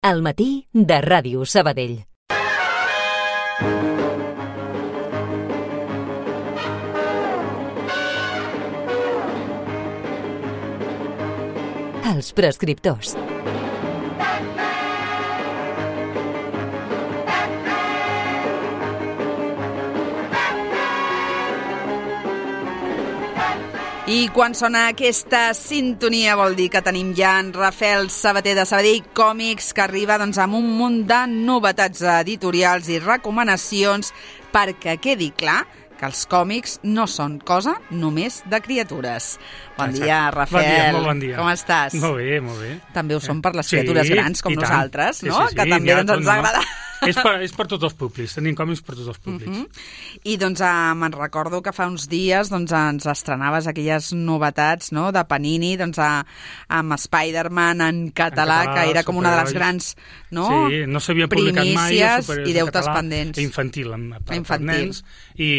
Al matí de Ràdio Sabadell. Els prescriptors. I quan sona aquesta sintonia vol dir que tenim ja en Rafael Sabater de Sabadell Còmics, que arriba amb un munt de novetats editorials i recomanacions perquè quedi clar que els còmics no són cosa només de criatures. Bon dia, Rafael. Molt bon dia. Com estàs? Molt bé, molt bé. També ho són per les criatures grans, com nosaltres, no? Sí, que també ens agrada. És per tots els públics, tenim còmics per tots els públics. I me'n recordo que fa uns dies ens estrenaves aquelles novetats, no?, de Panini, amb Spider-Man en català, que era com una de les grans, no? Sí, no s'havia publicat mai primícies i deutes pendents. Infantil, per nens, i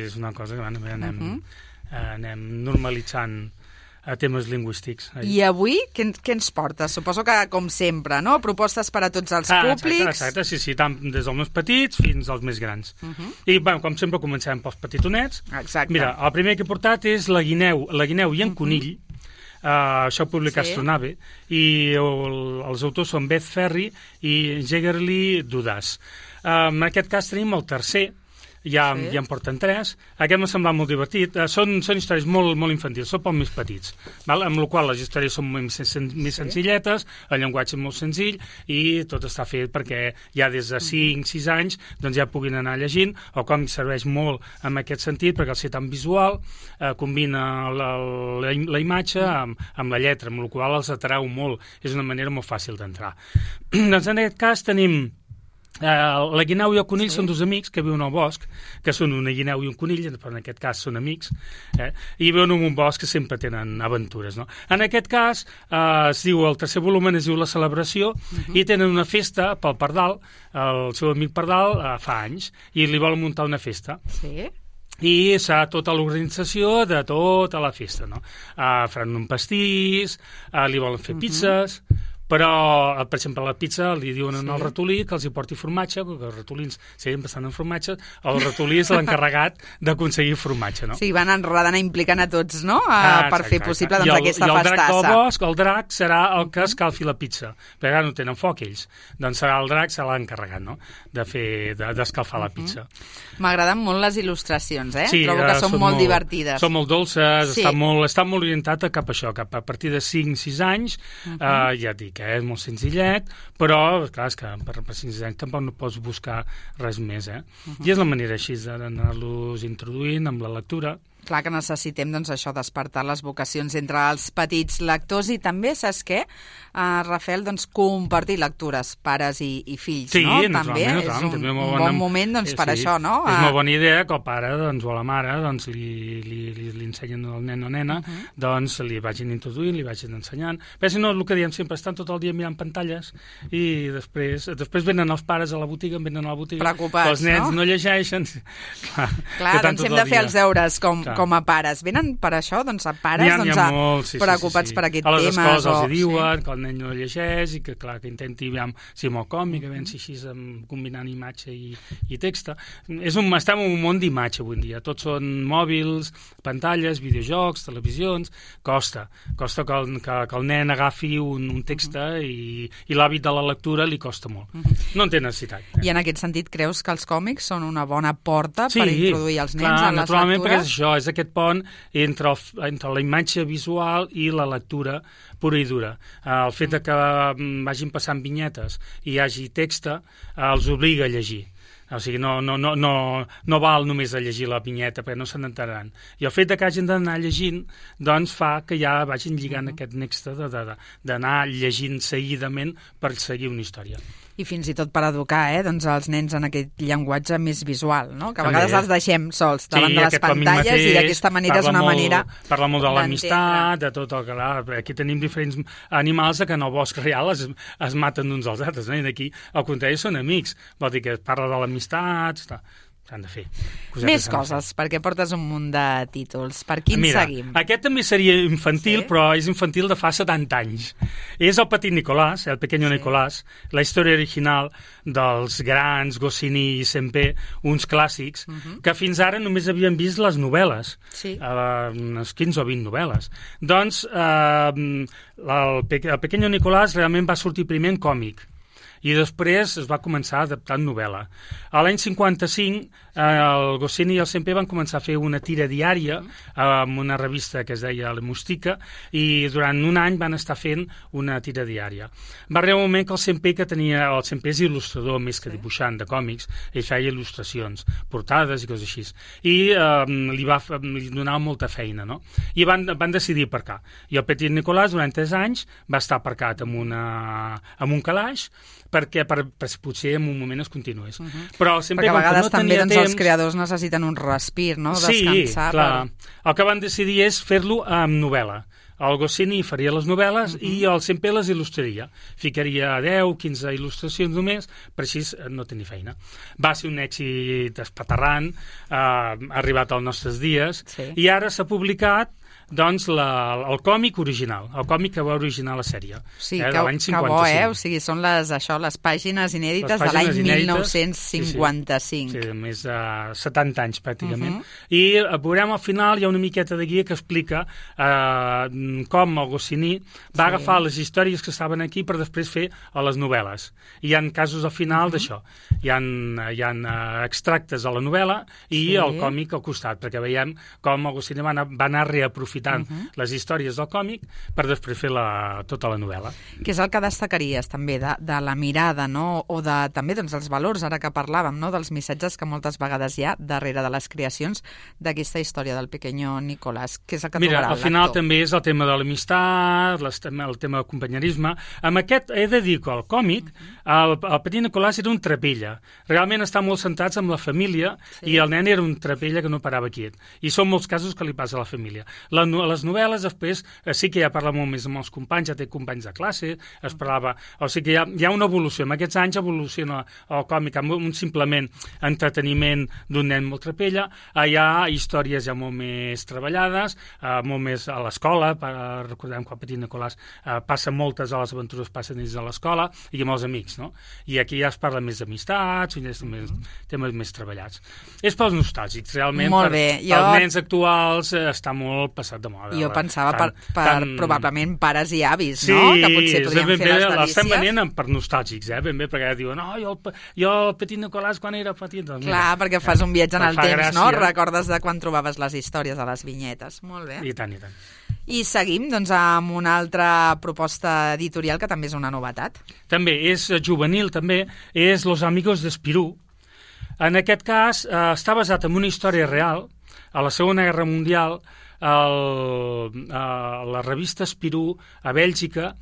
és una cosa que anem normalitzant a temes lingüístics. I avui què ens portes? Suposo que, com sempre, no? Propostes per a tots els públics. Exacte, sí, tant des dels més petits fins als més grans. I, com sempre, comencem pels petitonets. Exacte. Mira, el primer que he portat és la guineu i en conill. Això ho publica Astronave, i els autors són Beth Ferry i Jegerli Dudas. En aquest cas tenim el tercer. Ja en porten 3. Aquest m'ha semblat molt divertit. Són històries molt infantils, són pels més petits, amb la qual les històries són més senzilletes, el llenguatge és molt senzill i tot està fet perquè ja des de 5-6 anys ja puguin anar llegint. El còmic serveix molt en aquest sentit perquè al ser tan visual combina la imatge amb la lletra, amb la qual els atrau molt. És una manera molt fàcil d'entrar. Doncs en aquest cas tenim la guineu i el conill. Són dos amics que viuen al bosc, que són una guineu i un conill, però en aquest cas són amics, i viuen en un bosc que sempre tenen aventures, no? En aquest cas, el tercer volum es diu La celebració, i tenen una festa pel pardal. El seu amic pardal fa anys, i li volen muntar una festa. Sí. I serà tota l'organització de tota la festa, no? Faran un pastís, li volen fer pizzas, però, per exemple, a la pizza li diuen al ratolí que els hi porti formatge, perquè els ratolins seguien bastant en formatge, el ratolí és l'encarregat d'aconseguir formatge, no? Sí, van enredant i implicant a tots, no?, per fer possible aquesta festassa. I el drac del bosc, el drac serà el que escalfi la pizza, perquè ara no tenen foc ells, doncs serà el drac, serà l'encarregat, no?, d'escalfar la pizza. M'agraden molt les il·lustracions, Sí, trobo que són molt divertides. Són molt dolces, està molt orientat cap a això, cap a partir de 5-6 anys, ja et dic, és molt senzillet, però, clar, és que per 5 anys tampoc no pots buscar res més, I és la manera així d'anar-los introduint amb la lectura. Clar que necessitem, això, despertar les vocacions entre els petits lectors i també, saps què, Rafael, compartir lectures, pares i fills, no? També és un bon moment, per això, no? És una bona idea que el pare o la mare li ensenyen al nen o nena, li vagin introduint, li vagin ensenyant. Però si no, el que diem sempre, estan tot el dia mirant pantalles i després venen els pares a la botiga, preocupats, els nens no llegeixen. Clar, hem de fer els deures com a pares. Venen per això, a pares preocupats per aquest tema. A les escoles els diuen que el nen no llegeix i que, clar, que intenti, si amb el còmic, a veure si així combinant imatge i text. Estem en un món d'imatge avui en dia. Tots són mòbils, pantalles, videojocs, televisions. Costa que el nen agafi un text i l'hàbit de la lectura li costa molt. No en té necessitat. I en aquest sentit creus que els còmics són una bona porta per introduir els nens en les lectures? Naturalment, perquè és això, és aquest pont entre la imatge visual i la lectura pura i dura. El fet que vagin passant vinyetes i hi hagi text els obliga a llegir. O sigui, no val només a llegir la vinyeta, perquè no se n'enteraran. I el fet que hagin d'anar llegint, doncs fa que ja vagin lligant aquest nexe d'anar llegint seguidament per seguir una història. I fins i tot per educar, els nens en aquest llenguatge més visual, no? Que a vegades els deixem sols davant de les pantalles i d'aquesta manera és una manera d'entendre. Parla molt de l'amistat, de tot el que... Aquí tenim diferents animals que en el bosc real es maten uns als altres, i aquí, al contrari, són amics. Vol dir que es parla de l'amistat... s'han de fer. Més coses, perquè portes un munt de títols. Per quin seguim? Aquest també seria infantil, però és infantil de fa 70 anys. És el Petit Nicolàs, el Pequeño Nicolás, la història original dels grans Goscinny i Sempé, uns clàssics, que fins ara només havien vist les novel·les, unes 15 o 20 novel·les. Doncs el Pequeño Nicolás realment va sortir primer en còmic, i després es va començar a adaptar en novel·la. A l'any 55, el Goscinny i el Sempé van començar a fer una tira diària amb una revista que es deia La Mustica, i durant un any van estar fent una tira diària. Va arribar un moment que el Sempé és il·lustrador més que dibuixant de còmics, ell feia il·lustracions, portades i coses així. I li donava molta feina, no? I van decidir aparcar. I el Petit Nicolàs, durant 3 anys, va estar aparcat amb un calaix, perquè potser en un moment es continués. Però sempre, perquè a vegades no també els creadors necessiten un respir, no? Descansar. Sí, clar. El que van decidir és fer-lo amb novel·la. El Goscinny faria les novel·les i el Sempé les il·lustraria. Ficaria 10-15 il·lustracions només, per així no tenir feina. Va ser un èxit espaterrant, ha arribat als nostres dies, i ara s'ha publicat doncs el còmic original, el còmic que va originar la sèrie, de l'any 55. Que bo, o sigui, són les pàgines inèdites de l'any 1955. Sí, més de 70 anys, pràcticament. I veurem al final, hi ha una miqueta de guia que explica com el Goscinny va agafar les històries que estaven aquí per després fer a les novel·les. I hi ha casos al final d'això. Hi ha extractes a la novel·la i el còmic al costat, perquè veiem com el Goscinny va anar reaprofitant les històries del còmic per després fer tota la novel·la. Què és el que destacaries també de la mirada, no? O també dels valors, ara que parlàvem, no? Dels missatges que moltes vegades hi ha darrere de les creacions d'aquesta història del Pequeño Nicolás? Què és el que trobarà el lector? Al final també és el tema de l'amistat, el tema del companyerisme. Amb aquest he de dir que el còmic, el Petit Nicolás era un trapella. Realment està molt centrats amb la família i el nen era un trapella que no parava quiet. I són molts casos que li passa a la família. Les novel·les després sí que ja parla molt més amb els companys, ja té companys de classe, es parlava, o sigui que hi ha una evolució. En aquests anys evoluciona el còmic amb un simplement entreteniment d'un nen molt trapella, hi ha històries ja molt més treballades, molt més a l'escola, recordem que el Petit Nicolàs passa moltes de les aventures passen dins de l'escola i amb els amics, no? I aquí ja es parla més d'amistats, temes més treballats. És pels nostàlgics, realment, pels nens actuals està molt passat de moda. Jo pensava per probablement pares i avis, no? Que potser podrien fer les delícies. L'estem venent per nostàlgics, ben bé, perquè diuen, jo el Petit Nicolàs quan era petit... Clar, perquè fas un viatge en el temps, no? Recordes de quan trobaves les històries a les vinyetes. Molt bé. I tant, i tant. I seguim doncs, amb una altra proposta editorial que també és una novetat. També, és juvenil, també, és Los Amigos de Spirou. En aquest cas, està basat en una història real. A la Segona Guerra Mundial, la revista Spirou a Bèlgica,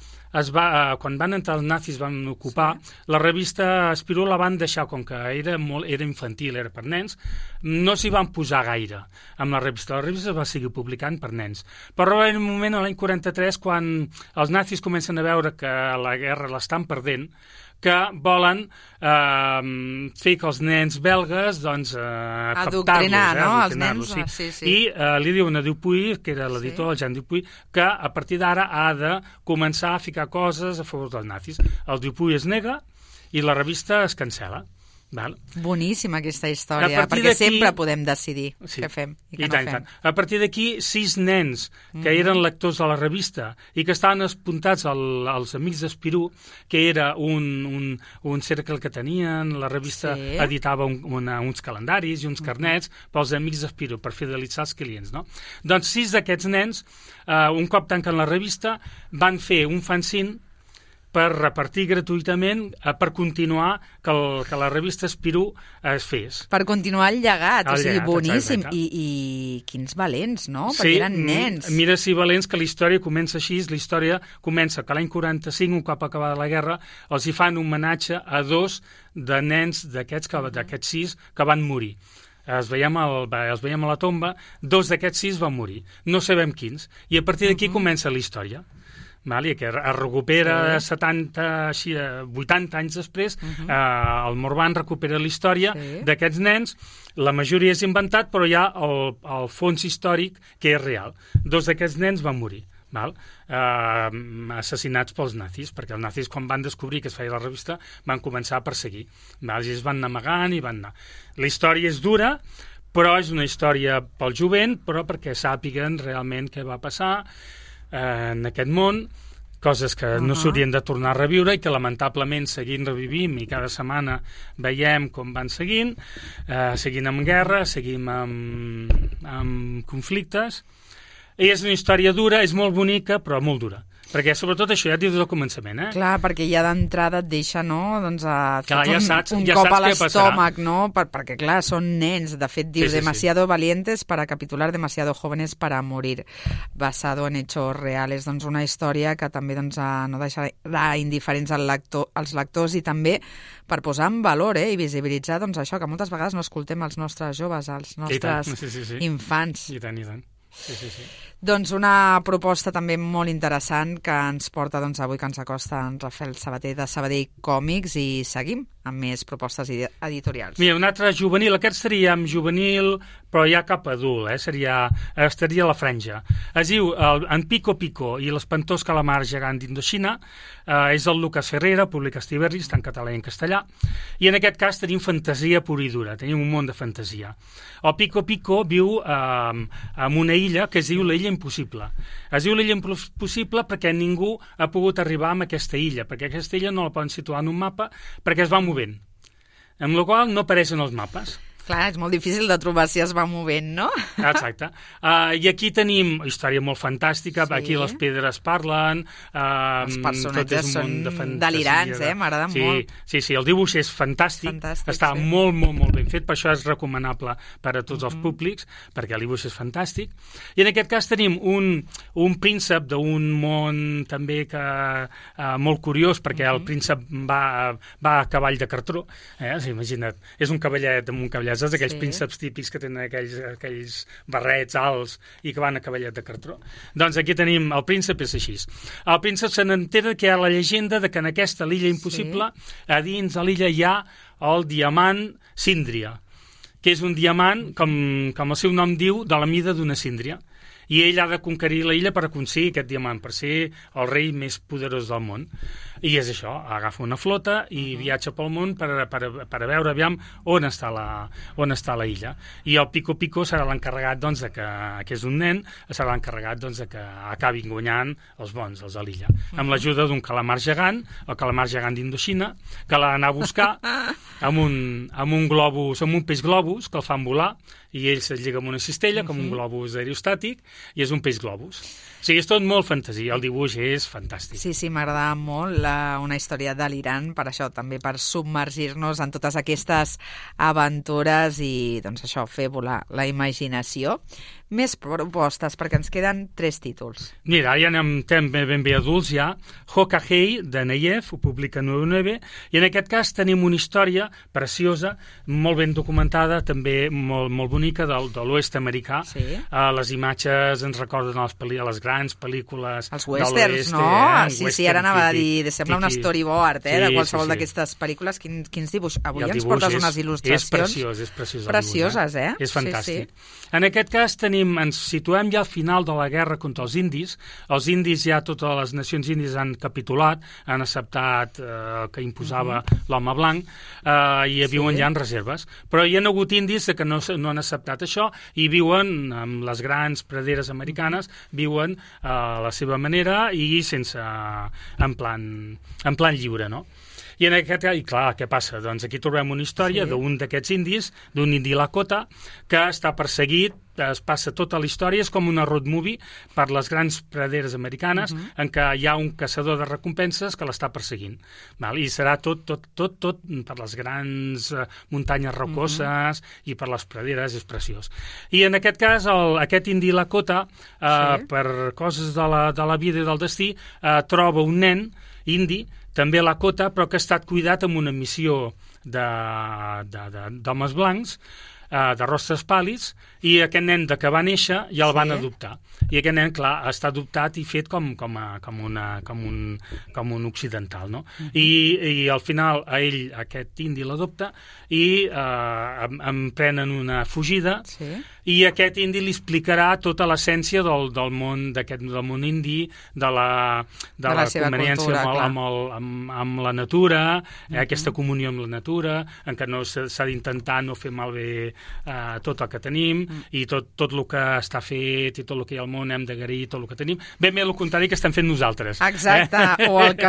quan van entrar els nazis, van ocupar, la revista Spirou la van deixar, com que era infantil, era per nens, no s'hi van posar gaire amb la revista. La revista es va seguir publicant per nens. Però en un moment, a l'any 43, quan els nazis comencen a veure que la guerra l'estan perdent, que volen fer que els nens belgues adoctrinar, no? Els nens, sí. I li diuen a Dupuy, que era l'editor, el Jean Dupuy, que a partir d'ara ha de començar a ficar coses a favor dels nazis. El Dupuy es nega i la revista es cancel·la. Boníssima aquesta història, perquè sempre podem decidir què fem i què no fem. A partir d'aquí, 6 nens que eren lectors de la revista i que estaven apuntats als Amics d'Spirou, que era un cercle que tenien, la revista editava uns calendaris i uns carnets pels Amics d'Spirou per fidelitzar els clients, no? Doncs 6 d'aquests nens, un cop tanquen la revista, van fer un fanzine per repartir gratuïtament, per continuar que la revista Spirou es fes. Per continuar el llegat, o sigui, boníssim. I quins valents, no? Perquè eren nens. Mira si valents que la història comença així. La història comença que l'any 45, un cop acabada la guerra, els hi fan un homenatge a 2 de nens d'aquests 6 que van morir. Els veiem a la tomba, 2 d'aquests 6 van morir. No sabem quins. I a partir d'aquí comença la història. i que es recupera 80 anys després, el Morvan recupera la història d'aquests nens, la majoria és inventat, però hi ha el fons històric que és real. 2 d'aquests nens van morir, assassinats pels nazis, perquè els nazis, quan van descobrir que es feia la revista, van començar a perseguir. I ells van anar amagant i van anar. La història és dura, però és una història pel jovent, però perquè sàpiguen realment què va passar en aquest món, coses que no s'haurien de tornar a reviure i que lamentablement seguint revivim i cada setmana veiem com van seguint amb guerra, seguim amb conflictes. I és una història dura, és molt bonica, però molt dura. Perquè sobretot això ja et diu des del començament, Clar, perquè ja d'entrada et deixa, no?, doncs un cop a l'estómac, no?, perquè, clar, són nens. De fet, diu, demasiado valientes para capitular, demasiado jóvenes para morir, basado en hechos reales. Doncs una història que també no deixarà indiferents als lectors i també per posar en valor i visibilitzar això, que moltes vegades no escoltem als nostres joves, als nostres infants. I tant, i tant. Sí. Doncs una proposta també molt interessant que ens porta avui, que ens acosta en Rafael Sabater de Sabadell Còmics, i seguim amb més propostes editorials. Mira, un altre juvenil, aquest seria amb juvenil, però ja cap adult, estaria a la franja. Es diu En Pico Pico i l'espantós calamar gegant d'Indoxina, és el Lucas Ferrera, publica Estiberri, està en català i en castellà, i en aquest cas tenim fantasia pura i dura, tenim un món de fantasia. El Pico Pico viu en una illa que es diu la Illa Impossible. Es diu la Illa Impossible perquè ningú ha pogut arribar a aquesta illa, perquè aquesta illa no la poden situar en un mapa perquè es va movent, amb la qual no apareixen els mapes. Clar, és molt difícil de trobar si es va movent, no? Exacte. I aquí tenim història molt fantàstica, aquí les pedres parlen, els personatges són delirants, m'agraden molt. Sí, el dibuix és fantàstic, està molt, molt, molt ben fet, per això és recomanable per a tots els públics, perquè el dibuix és fantàstic. I en aquest cas tenim un príncep d'un món també molt curiós, perquè el príncep va a cavall de cartró, imagina't, és un cavallet amb un cavallet, saps aquells prínceps típics que tenen aquells barrets alts i que van a cavallet de cartró? Doncs aquí tenim, el príncep és així. El príncep se n'entera que hi ha la llegenda de que en aquesta l'illa impossible, a dins de l'illa hi ha el diamant síndria, que és un diamant, com el seu nom diu, de la mida d'una síndria. I ell ha de conquerir la illa per aconseguir aquest diamant, per ser el rei més poderós del món. I és això, agafa una flota i viatja pel món per veure aviam on està la illa. I el Pico Pico serà l'encarregat, que és un nen, serà l'encarregat de que acabin guanyant els bons, els de l'illa. Amb l'ajuda d'un calamar gegant, el calamar gegant d'Indoxina, que l'ha d'anar a buscar amb un globus, amb un peix globus, que el fan volar, i ell se't lliga amb una cistella, com un globus aerostàtic, i és un peix globus. O sigui, és tot molt fantasia, el dibuix és fantàstic. Sí, m'agrada molt una història delirant, per això, també per submergir-nos en totes aquestes aventures i, fer volar la imaginació. Més propostes, perquè ens queden 3 títols. Mira, ja anem ben bé adults, ja. Hokahei, de Neyev, ho publica 9-9, i en aquest cas tenim una història preciosa, molt ben documentada, també molt bonica, de l'oest americà. Les imatges ens recorden a les grans pel·lícules els westerns, no? Sí, ara anava a dir, sembla un storyboard, de qualsevol d'aquestes pel·lícules. Quins dibuixos? Avui ens portes unes il·lustracions. És preciós. Precioses, És fantàstic. En aquest cas ens situem ja al final de la guerra contra els indis. Els indis, ja totes les nacions índies han capitulat, han acceptat que imposava l'home blanc i viuen ja en reserves. Però hi ha hagut indis que no han acceptat això i viuen amb les grans praderes americanes, viuen a la seva manera i sense en plan lliure, no? I clar, què passa? Doncs aquí trobem una història d'un d'aquests indis, d'un indi Lakota, que està perseguit, es passa tota la història, és com una road movie per les grans praderes americanes, en què hi ha un caçador de recompenses que l'està perseguint. I serà tot per les grans muntanyes rocoses i per les praderes, és preciós. I en aquest cas, aquest indi Lakota, per coses de la vida i del destí, troba un nen indi, també Lakota, però que ha estat cuidat amb una missió d'homes blancs, de rostres pàl·lids, i aquest nen de que va néixer ja el van adoptar. I aquest nen, clar, està adoptat i fet com un occidental, no? I al final a ell, aquest indi l'adopta i emprenen una fugida, i aquest indi li explicarà tota l'essència del món indi, de la conveniència amb la natura, aquesta comunió amb la natura, en què no s'ha d'intentar no fer malbé tot el que tenim, i tot el que està fet i tot el que hi ha al món hem d'agrair tot el que tenim. Ben bé el contrari que estem fent nosaltres. Exacte, o el que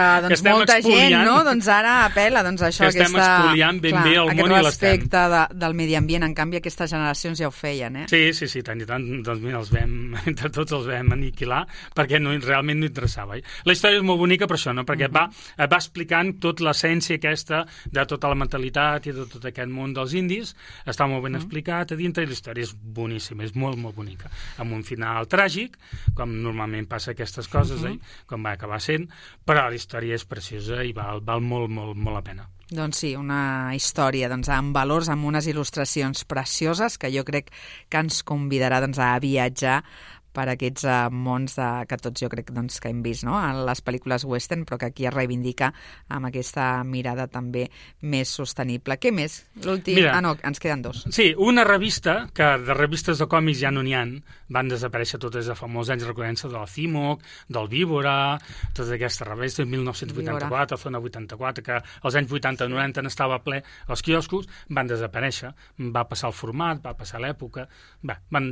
molta gent, no? Doncs ara apela, doncs això, que estem expoliant ben bé el món i l'estem. Aquest respecte del medi ambient, en canvi aquestes generacions ja ho feien, Sí, tant i tant, doncs mira, entre tots els vam aniquilar, perquè realment no interessava. La història és molt bonica per això, no? Perquè va explicant tota l'essència aquesta de tota la mentalitat i de tot aquest món dels indis, està molt ben explicat a dintre, i la història és boníssima, és molt, molt bonica, amb un final tràgic, com normalment passa aquestes coses, com va acabar sent, però la història és preciosa i val molt, molt, molt la pena. Doncs sí, una història amb valors, amb unes il·lustracions precioses que jo crec que ens convidarà a viatjar per aquests mons que tots jo crec que hem vist en les pel·lícules western, però que aquí es reivindica amb aquesta mirada també més sostenible. Què més? L'últim... no, ens queden dos. Sí, una revista, que de revistes de còmics ja no n'hi ha, van desaparèixer totes de fa molts anys, recordant-se de la CIMOC, del Víbora, totes aquestes revistes, 1984, Zona 84, que als anys 80-90 n'estava ple els quioscos, van desaparèixer, va passar el format, va passar l'època,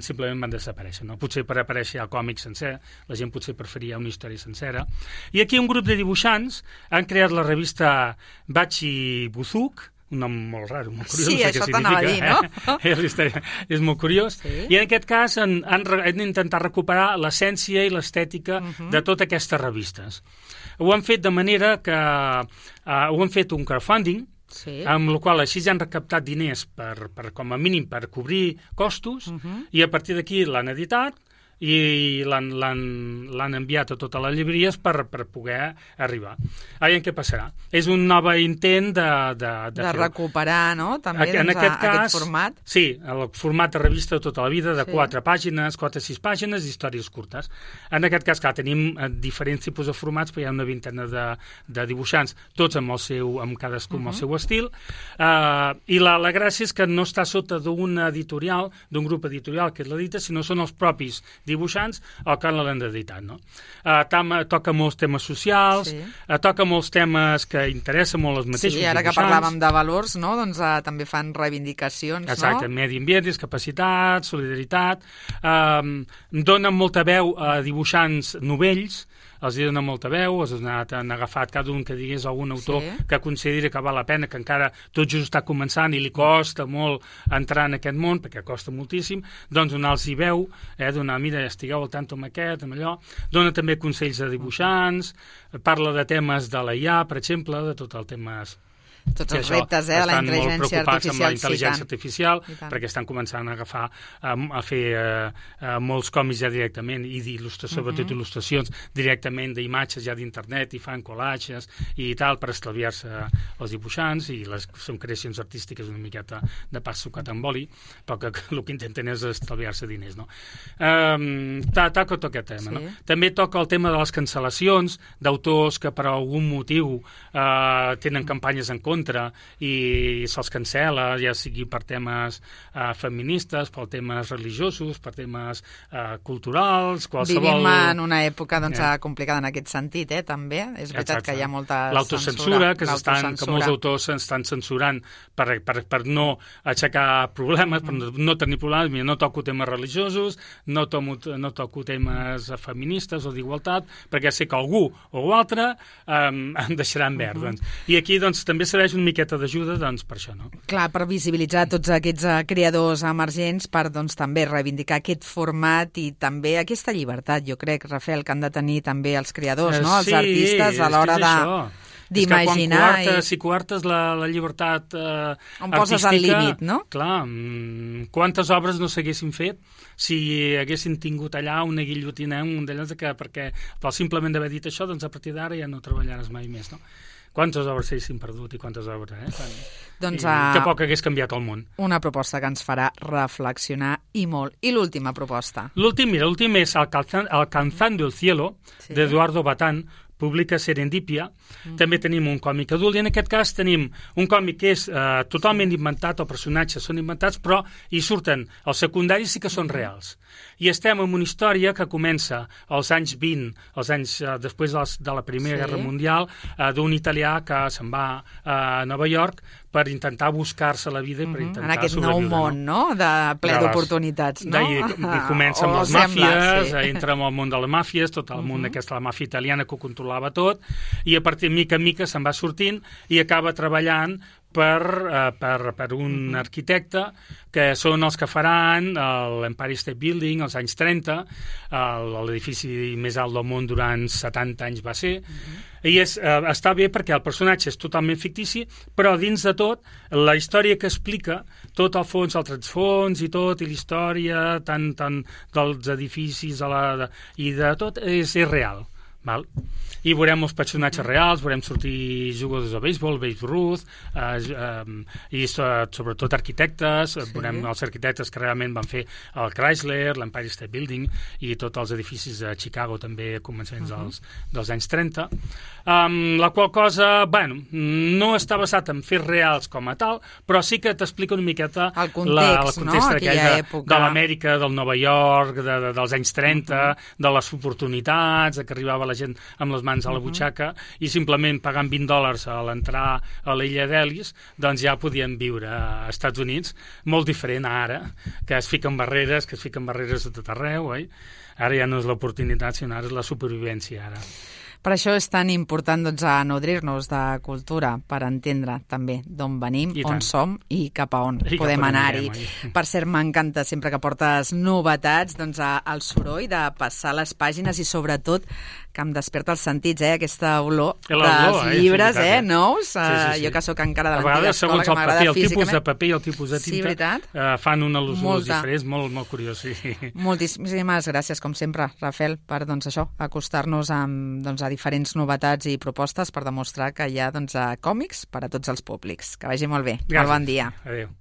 simplement van desaparèixer, no? Potser per aparèixer el còmic sencer, la gent potser preferia una història sencera. I aquí un grup de dibuixants han creat la revista Bachi Buzuk, un nom molt raro, molt curiós. Sí, això t'anava a dir, no? És molt curiós. I en aquest cas han intentat recuperar l'essència i l'estètica de totes aquestes revistes. Ho han fet de manera que ho han fet un crowdfunding, amb la qual així ja han recaptat diners com a mínim per cobrir costos, i a partir d'aquí l'han editat i l'han enviat a totes les llibreries per poder arribar. Ara, què passarà? És un nou intent de recuperar, no?, també aquest format. Sí, el format de revista de tota la vida, de 4 pàgines, 4 o 6 pàgines, d'històries curtes. En aquest cas, clar, tenim diferents tipus de formats, però hi ha una vintena de dibuixants, tots amb cadascú amb el seu estil, i la gràcia és que no està sota d'un editorial, d'un grup editorial que l'edita, sinó són els propis dibuixants el que l'han editat, no? Toca molts temes socials, toca molts temes que interessen molt els mateixos dibuixants. Sí, ara que parlàvem de valors, no? Doncs també fan reivindicacions, no? Exacte, medi ambient, discapacitat, solidaritat, donen molta veu a dibuixants novells, els donen molta veu, han agafat cada un que digués algun autor que consideri que val la pena, que encara tot just està començant i li costa molt entrar en aquest món, perquè costa moltíssim, doncs donar-los veu, donar, mira, estigueu al tanto amb aquest, amb allò, dona també consells a dibuixants, parla de temes de la IA, per exemple, de tot el temes... Tots els reptes de la intel·ligència artificial. Estan molt preocupats amb la intel·ligència artificial, perquè estan començant a agafar, a fer molts còmics ja directament, i sobretot il·lustracions directament d'imatges ja d'internet, i fan collages i tal, per estalviar-se els dibuixants, i són creacions artístiques una miqueta de pas sucat amb oli, però que el que intenten és estalviar-se diners, no? Toca tot aquest tema, no? També toca el tema de les cancel·lacions d'autors que per algun motiu tenen campanyes en contra i se'ls cancela, ja sigui per temes feministes, per temes religiosos, per temes culturals, qualsevol... Vivim en una època complicada en aquest sentit, també. És veritat que hi ha molta l'autocensura, que molts autors s'estan censurant per no aixecar problemes, per no tenir problemes. Mira, no toco temes religiosos, no toco temes feministes o d'igualtat, perquè sé que algú o altre em deixarà en verd. I aquí també serveix una miqueta d'ajuda per això, no? Clar, per visibilitzar tots aquests creadors emergents, per també reivindicar aquest format i també aquesta llibertat, jo crec, Rafael, que han de tenir també els creadors, no? Els artistes a l'hora d'imaginar. Si coartes la llibertat artística... On poses el límit, no? Clar, quantes obres no s'haguessin fet si haguessin tingut allà una guillotina, un d'allò perquè simplement d'haver dit això, doncs a partir d'ara ja no treballaràs mai més, no? quantes obres s'haguessin perdut i quantes obres, Doncs, que poc hagués canviat el món. Una proposta que ens farà reflexionar i molt. I l'última proposta? L'últim és Alcanzando el cielo, d'Eduardo Batán, publica Serendipia. També tenim un còmic adult, i en aquest cas tenim un còmic que és totalment inventat, els personatges són inventats, però hi surten, els secundaris sí que són reals. I estem en una història que comença als anys 20, als anys després de la Primera Guerra Mundial, d'un italià que se'n va a Nova York per intentar buscar-se la vida i per intentar en aquest sobreviure. Nou món, no?, de ple d'oportunitats, no? Comença amb les màfies, entra en el món de les màfies, tot el món d'aquesta la màfia italiana que ho controlava tot, i a partir de mica en mica se'n va sortint i acaba treballant per un arquitecte que són els que faran l'Empire State Building als anys 30, l'edifici més alt del món durant 70 anys va ser, i està bé perquè el personatge és totalment fictici, però dins de tot, la història que explica, tot el fons, el transfons i tot, i la història tant dels edificis i de tot, és real. Val? I veurem els personatges reals, veurem sortir jugadors de béisbol, Babe Ruth, i sobretot arquitectes, veurem els arquitectes que realment van fer el Chrysler, l'Empire State Building i tots els edificis de Chicago també a començaments dels anys 30. La qual cosa, no està basat en fets reals com a tal, però sí que t'explica una miqueta el context, de l'Amèrica, del Nova York, dels anys 30, de les oportunitats, que arribava la gent amb les mans a la butxaca i simplement pagant $20 a l'entrar a l'illa d'Ellis, doncs ja podien viure als Estats Units, molt diferent a ara, que es fiquen barreres a tot arreu, oi? Ara ja no és l'oportunitat, sinó ara és la supervivència, ara. Per això és tan important nodrir-nos de cultura, per entendre també d'on venim, on som i cap a on podem anar-hi. Per cert, m'encanta sempre que portes novetats, el soroll de passar les pàgines i sobretot que em desperta els sentits, aquesta olor dels llibres nous. Jo que sóc encara de l'antiga escola, que m'agrada físicament. El tipus de paper i el tipus de tinta fan una olor diferent, molt curiós. Moltíssimes gràcies, com sempre, Rafael, per acostar-nos a diferents novetats i propostes per demostrar que hi ha còmics per a tots els públics. Que vagi molt bé. Molt bon dia. Adéu.